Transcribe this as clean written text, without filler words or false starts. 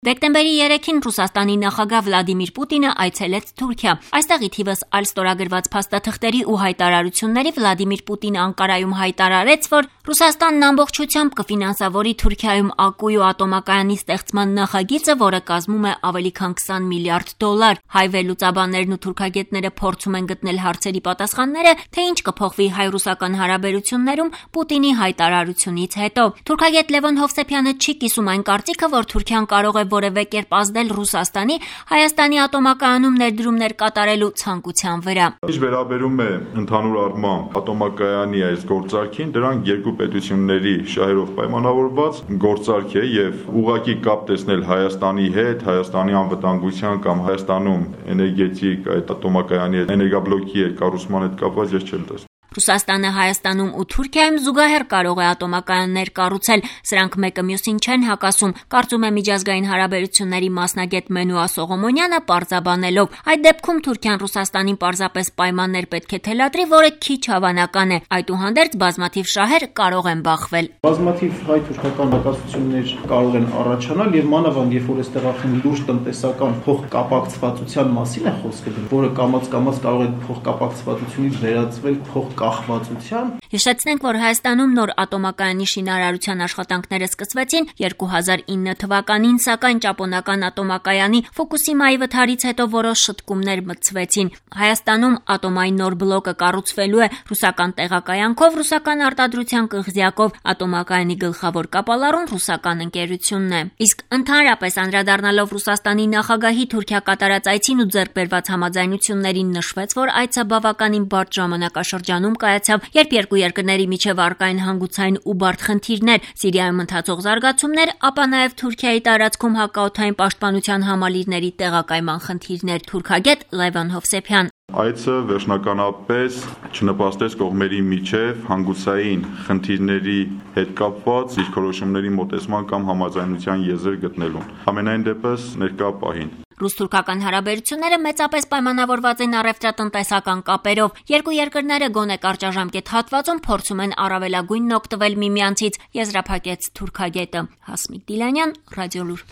Դեկտեմբերի 3-ին Ռուսաստանի նախագահ Վլադիմիր Պուտինը այցելեց Թուրքիա։ Այստեղ ի թիվս այլ ստորագրված փաստաթղթերի ու հայտարարությունների Վլադիմիր Պուտինը Անկարայում հայտարարեց, որ Ռուսաստանն ամբողջությամբ կֆինանսավորի Թուրքիայում ակու ու ատոմակայանի ստեղծման նախագիծը, որը կազմում է ավելի քան $20 միլիարդ։ Հայ վերլուծաբաններն ու թուրքագետները փորձում են գտնել հարցերի պատասխանները, թե ինչ կփոխվի հայ-ռուսական հարաբերություններում Պուտինի հայտարարությունից հետո։ Թուրքագետ Լևոն Հովսեփյանը չի կիսում այն կարծիքը, որ Թուրքիան կարող է որևէ կերպ ազդել Ռուսաստանի Հայաստանի ատոմակայանում ներդրումներ կատարելու ցանկության վրա։ Ինչ վերաբերում է ընդհանուր առմամբ ատոմակայանի այս գործարքին, դրանք երկու պետությունների շահերով պայմանավորված գործարք է եւ ուղղակի կապ տեսնել Հայաստանի հետ, Հայաստանի անվտանգության կամ Հայաստանում էներգետիկ այդ ատոմակայանի էներգաբլոկի կառուցման հետ կապված ես չեմ տեսնում։ Ռուսաստանը Հայաստանում ու Թուրքիայում զուգահեռ կարող է ատոմակայաններ կառուցել, սրանք մեկը մյուսին չեն հակասում, կարծում է միջազգային հարաբերությունների մասնագետ Մենուա Սողոմոնյանը պարզաբանելով։ Այդ դեպքում Թուրքիան Ռուսաստանին պարզապես պայմաններ պետք է թելադրի, որը քիչ հավանական է, այդուհանդերձ բազմաթիվ շահեր կարող են բախվել։ Բազմաթիվ հայ-թուրքական հակասություններ կարող են առաջանալ եւ մանավանդ երբ որ այստեղ արդեն լուրջ տնտեսական փոխկապակցվածության մասին է խոսքը, որը կամաց-կամաց կարող է փոխկապակցվածությունից վերածվել կախվածության։ Հիշեցնենք, որ Հայաստանում նոր ատոմակայանի շինարարության աշխատանքները սկսվեցին 2009 թվականին, սակայն ճապոնական ատոմակայանի Ֆուկուսիմայի վթարից հետո որոշ շտկումներ մտցվեցին։ Հայաստանում ատոմային նոր բլոկը կառուցվելու է ռուսական տեղակայանքով, ռուսական արտադրության կղզյակով, ատոմակայանի գլխավոր կապալառուն ռուսական ընկերությունն է։ Իսկ ընդհանրապես անդրադառնալով Ռուսաստանի նախագահի Թուրքիա կատարած այցին ու ձեռք բերված համաձայնություններին նշվեց, որ այցը բավականին բարդ ժամանակաշրջանում կայացավ, երբ երկու երկրների միջև առկա են հանգուցային ու բարդ խնդիրներ, Սիրիայում ընթացող զարգացումներ, ապա նաև Թուրքիայի տարածքում հակաօդային պաշտպանության համալիրների տեղակայման խնդիրներ։ Թուրքագետ Լևոն Հովսեփյան։ Այցը վերջնականապես չնպաստեց կողմերի միջև հանգուցային խնդիրների հետ կապված դիրքորոշումների մոտեցման կամ համաձայնության եզր գտնելուն։ Համենայն դեպս ներկա պահին Ռուս-թուրքական հարաբերությունները մեծապես պայմանավորված են առևտրատնտեսական կապերով։ Երկու երկրները գոնե կարճաժամկետ հատվածում փորձում են առավելագույնն օգտվել միմյանցից, եզրափակեց թուրքագետը։ Հասմիկ Դիլանյան, Ռադիոլուր։